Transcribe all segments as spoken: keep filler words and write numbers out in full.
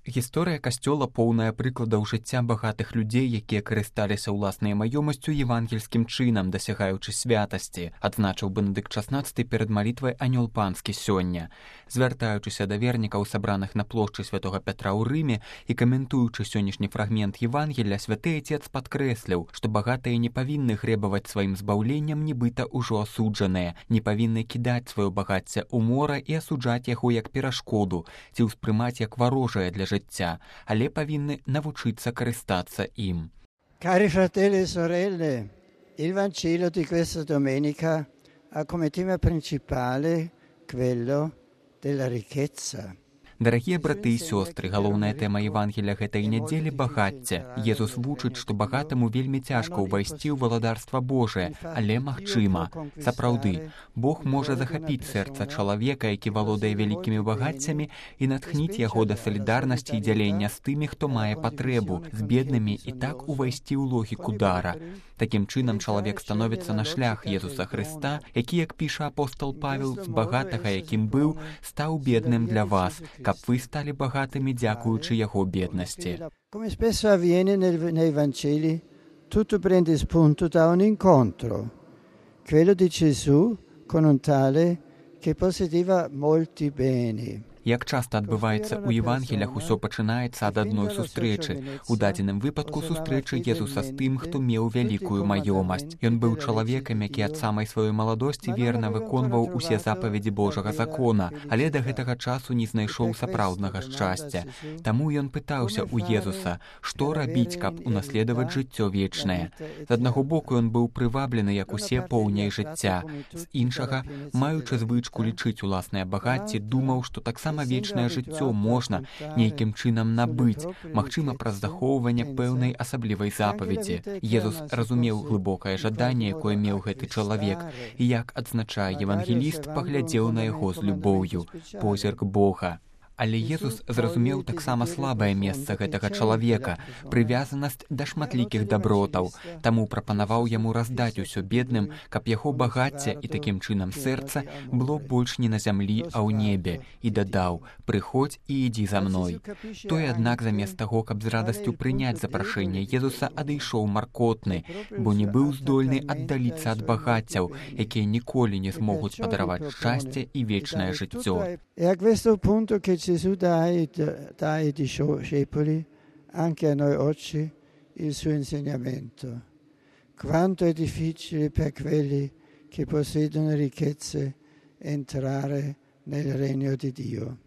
Гісторыя касцёла поўная прыкладаў жыцця багатых людзей, якія карысталіся ўласнай маёмасцю евангельскім чынам, дасягаючы святасці, адзначыў Бенедыкт шаснаццаты перад малітвай анёл панскі сёння. Звяртаючыся да вернікаў, сабраных на плошчы святога Пятра ў Рыме і каментуючы сённяшні фрагмент Евангелля, святы айцец падкрэсліў, што багатыя не павінны грэбаваць сваім збаўленнем, нібыта ўжо асуджаныя, не павінны кідаць сваё багацце ў мора і асуджаць яго як перашкоду ці ўспрымаць як варожае для жыцця, але павінны навучыцца карыстацца ім. Cari fratelli e sorelle, il Vangelo di questa domenica ha come tema principale quello della ricchezza. Дарагія браты і сёстры, галоўная тэма Евангелля гэтай нядзелі – багацце. Езус вучыць, што багатаму вельмі цяжка ўвайсці ў валадарства Божае, але магчыма. Сапраўды, Бог можа захапіць сэрца чалавека, які валодае вялікімі багаццямі, і натхніць яго да салідарнасці і дзялення з тымі, хто мае патрэбу, з беднымі, і так увайсці ў логіку дара. Такім чынам чалавек становіцца на шлях Езуса Хрыста, які, як піша апостол Павел, з багатага, якім быў, стаў бедным для вас, каб вы сталі багатымі дзякуючы яго беднасці. Come spesso avviene nei Vangeli, tutto prende spunto da un incontro, quello di Gesù con un tale che possedeva molti beni. Як часта адбываецца ў Евангелях, усё пачынаецца ад адной сустрэчы. У дадзеным выпадку сустрэчы Езуса з тым, хто меў вялікую маёмасць. Ён быў чалавекам, які ад самай сваёй маладосці верна выконваў усе запаведзі Божага закона, але да гэтага часу не знайшоў сапраўднага шчасця. Таму ён пытаўся ў Езуса, што рабіць, каб унаследаваць жыццё вечнае. З аднаго боку ён быў прываблены, як усе, поўняй жыцця. З іншага, маючы звычку лічыць уласнае багацце, думаў, што таксама вечнае жыццё можна нейкім чынам набыць, магчыма, праз захоўванне пэўнай асаблівай запаведзі. Езус разумеў глыбокае жаданне, якое меў гэты чалавек, і, як адзначае евангеліст, паглядзеў на яго з любоўю, позірк Бога. Але Езус зразумеў таксама слабае месца гэтага чалавека, прывязанасць да шматлікіх дабротаў, таму прапанаваў яму раздаць усё бедным, каб яго багацце і такім чынам сэрца было больш не на зямлі, а ў небе, і дадаў: «Прыходзь і ідзі за мной». Той, аднак, замест таго, каб з радасцю прыняць запрашэнне Езуса, адышоў маркотны, бо не быў здольны аддаліцца ад багаццяў, якія ніколі не змогуць падараваць шчасце і вечнае жыццё. Gesù dà ai, dà ai discepoli, anche a noi oggi, il suo insegnamento. Quanto è difficile per quelli che possiedono ricchezze entrare nel regno di Dio.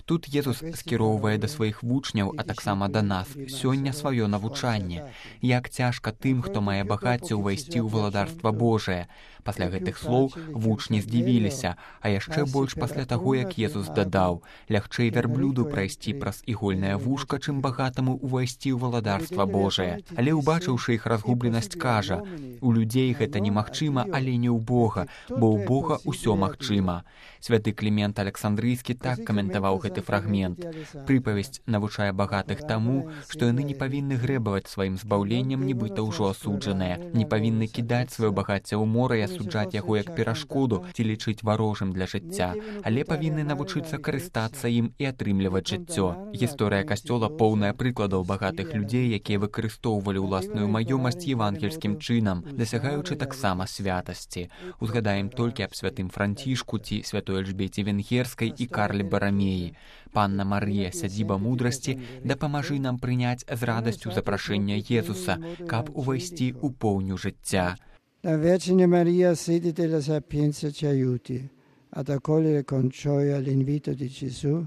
Тут Езус скіроўвае да сваіх вучняў, а таксама да нас, сёння сваё навучанне. Як цяжка тым, хто мае багацце, увайсці ў валадарства Божае. Пасля гэтых слоў вучні здзівіліся, а яшчэ больш пасля таго, як Езус дадаў: «Лягчэй вярблюду прайсці праз ігольнае вушка, чым багатаму увайсці ў валадарства Божае». Але, убачыўшы іх разгубленасць, кажа: «У людзей гэта немагчыма, але не ў Бога, бо ў Бога ўсё магчыма». Святы Клімент Александрыйскі так каментаваў гэты фрагмент. Прыпавесць навучае багатых таму, што яны не павінны грэбаваць сваім збаўленнем, нібыта ўжо асуджаныя, не павінны кідаць сваё багацце ў мора і асуджаць яго як перашкоду ці лічыць варожым для жыцця, але павінны навучыцца карыстацца ім і атрымліваць жыццё. Гісторыя касцёла поўная прыкладаў багатых людзей, якія выкарыстоўвалі ўласную маёмасць евангельскім чынам, дасягаючы таксама святасці. Узгадаем толькі аб святым Францішку ці святой Эльжбеце Венгерскай і Карле Барамеі. Панна Марыя, сядзіба мудрасці, дапамажы нам прыняць з радасцю запрашэння Езуса, каб увайсці ў поўню жыцця. La Vergine Maria, sede della sapienza, ci aiuti ad accogliere con gioia l'invito di Gesù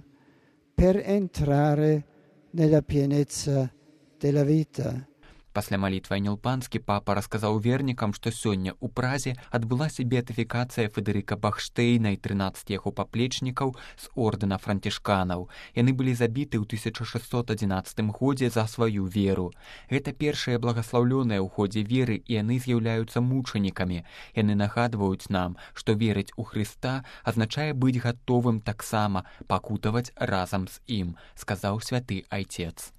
per entrare nella pienezza della vita. Пасля малітвы анёл панскі папа расказаў вернікам, што сёння ў Празе адбылася беатыфікацыя Федэрыка Бахштейна і трынаццаць яго паплечнікаў з ордэна францішканаў. Яны былі забіты ў тысяча шэсцьсот адзінаццатым годзе за сваю веру. Гэта першыя благаслаўлёныя ў ходзе веры, і яны з'яўляюцца мучанікамі. Яны нагадваюць нам, што верыць у Хрыста азначае быць гатовым таксама пакутаваць разам з ім, сказаў святы айцец.